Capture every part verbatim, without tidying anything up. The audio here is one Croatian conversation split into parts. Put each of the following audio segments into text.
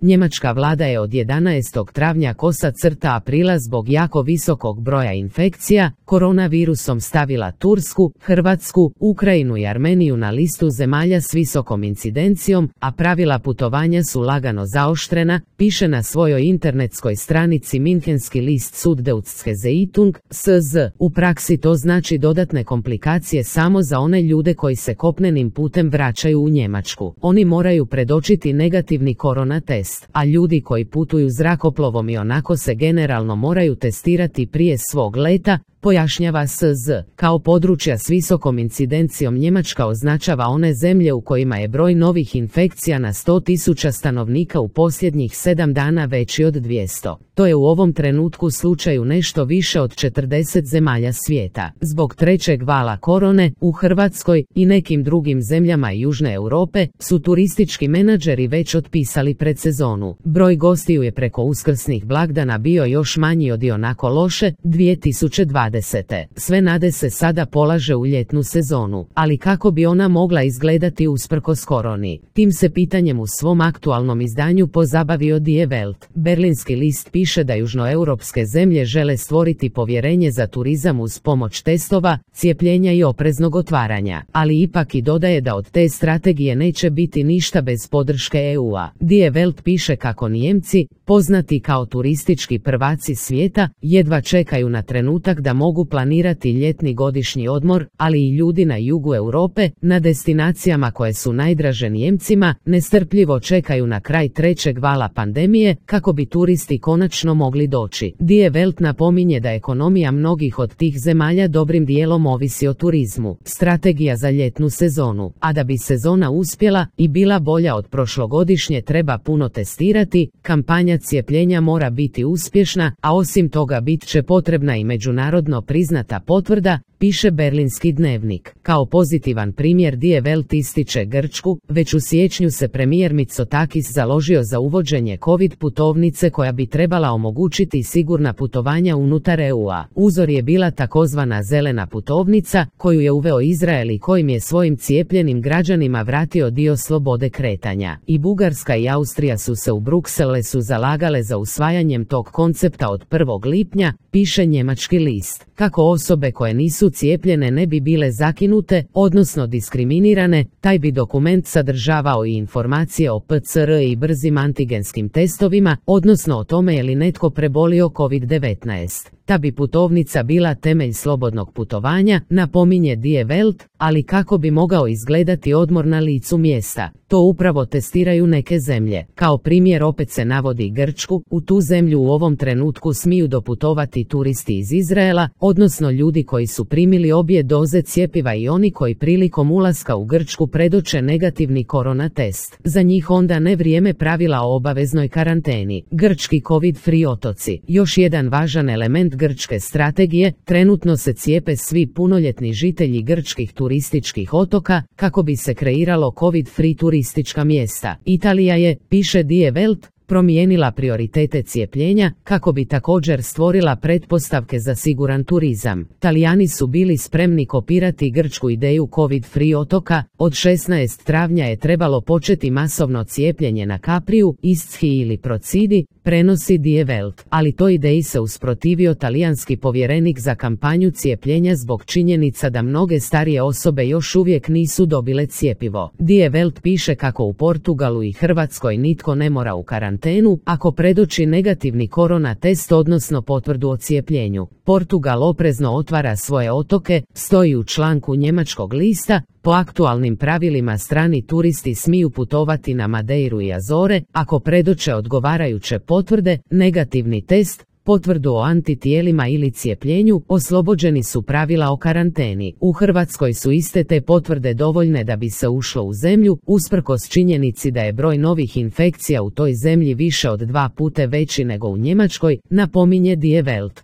Njemačka vlada je od jedanaestog travnja kosa crta aprila zbog jako visokog broja infekcija koronavirusom stavila Tursku, Hrvatsku, Ukrajinu i Armeniju na listu zemalja s visokom incidencijom, a pravila putovanja su lagano zaoštrena, piše na svojoj internetskoj stranici minhenski list Süddeutsche Zeitung, S Z. U praksi to znači dodatne komplikacije samo za one ljude koji se kopnenim putem vraćaju u Njemačku. Oni moraju predočiti negativni korona test, a ljudi koji putuju zrakoplovom i onako se generalno moraju testirati prije svog leta, pojašnjava S Z. Kao područja s visokom incidencijom Njemačka označava one zemlje u kojima je broj novih infekcija na sto tisuća stanovnika u posljednjih sedam dana veći od dvjesto. To je u ovom trenutku slučaju nešto više od četrdeset zemalja svijeta. Zbog trećeg vala korone, u Hrvatskoj i nekim drugim zemljama Južne Europe su turistički menadžeri već otpisali predsezonu. Broj gostiju je preko uskrsnih blagdana bio još manji od ionako loše dvije tisuće dvadesete. Sve nade se sada polaže u ljetnu sezonu, ali kako bi ona mogla izgledati usprkos koroni? Tim se pitanjem u svom aktualnom izdanju pozabavio Die Welt. Berlinski list piše da južnoeuropske zemlje žele stvoriti povjerenje za turizam uz pomoć testova, cijepljenja i opreznog otvaranja, ali ipak i dodaje da od te strategije neće biti ništa bez podrške E U-a. Die Welt piše kako Nijemci, poznati kao turistički prvaci svijeta, jedva čekaju na trenutak da mogu planirati ljetni godišnji odmor, ali i ljudi na jugu Europe, na destinacijama koje su najdraže Nijemcima, nestrpljivo čekaju na kraj trećeg vala pandemije, kako bi turisti konačno mogli doći. Die Welt napominje da ekonomija mnogih od tih zemalja dobrim dijelom ovisi o turizmu. Strategija za ljetnu sezonu, a da bi sezona uspjela i bila bolja od prošlogodišnje treba puno testirati, kampanja cijepljenja mora biti uspješna, a osim toga bit će potrebna i međunarodno priznata potvrda, piše Berlinski dnevnik. Kao pozitivan primjer Die Welt ističe Grčku, već u siječnju se premijer Mitsotakis založio za uvođenje covid putovnice koja bi trebala omogućiti sigurna putovanja unutar E U-a. Uzor je bila takozvana zelena putovnica, koju je uveo Izrael i kojim je svojim cijepljenim građanima vratio dio slobode kretanja. I Bugarska i Austrija su se u Bruxellesu zalagale za usvajanjem tog koncepta od prvog lipnja, piše njemački list. Kako osobe koje nisu cijepljene ne bi bile zakinute, odnosno diskriminirane, taj bi dokument sadržavao i informacije o P C R i brzim antigenskim testovima, odnosno o tome je li netko prebolio covid devetnaest. Ta bi putovnica bila temelj slobodnog putovanja, napominje Die Welt, ali kako bi mogao izgledati odmor na licu mjesta? To upravo testiraju neke zemlje. Kao primjer opet se navodi Grčku, u tu zemlju u ovom trenutku smiju doputovati turisti iz Izraela, odnosno ljudi koji su primili obje doze cjepiva i oni koji prilikom ulaska u Grčku predoče negativni korona test. Za njih onda ne vrijeme pravila o obaveznoj karanteni. Grčki covid-free otoci. Još jedan važan element grčke strategije, trenutno se cijepe svi punoljetni žitelji grčkih turističkih otoka, kako bi se kreiralo covid-free turistička mjesta. Italija je, piše Die Welt, promijenila prioritete cijepljenja, kako bi također stvorila pretpostavke za siguran turizam. Talijani su bili spremni kopirati grčku ideju covid-free otoka, od šesnaestog travnja je trebalo početi masovno cijepljenje na Capriu, Ischi ili Procidi, prenosi Die Welt, ali toj ideji se usprotivio talijanski povjerenik za kampanju cijepljenja zbog činjenica da mnoge starije osobe još uvijek nisu dobile cjepivo. Die Welt piše kako u Portugalu i Hrvatskoj nitko ne mora u karantenu ako predoči negativni korona test odnosno potvrdu o cijepljenju. Portugal oprezno otvara svoje otoke, stoji u članku njemačkog lista. Po aktualnim pravilima strani turisti smiju putovati na Madeiru i Azore ako predoče odgovarajuće potvrde, negativni test, potvrdu o antitijelima ili cijepljenju, oslobođeni su pravila o karanteni. U Hrvatskoj su iste te potvrde dovoljne da bi se ušlo u zemlju, usprkos činjenici da je broj novih infekcija u toj zemlji više od dva puta veći nego u Njemačkoj, napominje Die Welt.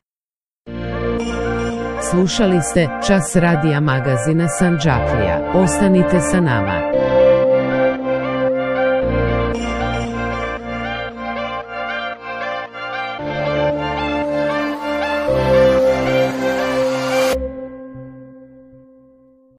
Slušali ste Čas radija magazina Sandžaklija. Ostanite sa nama.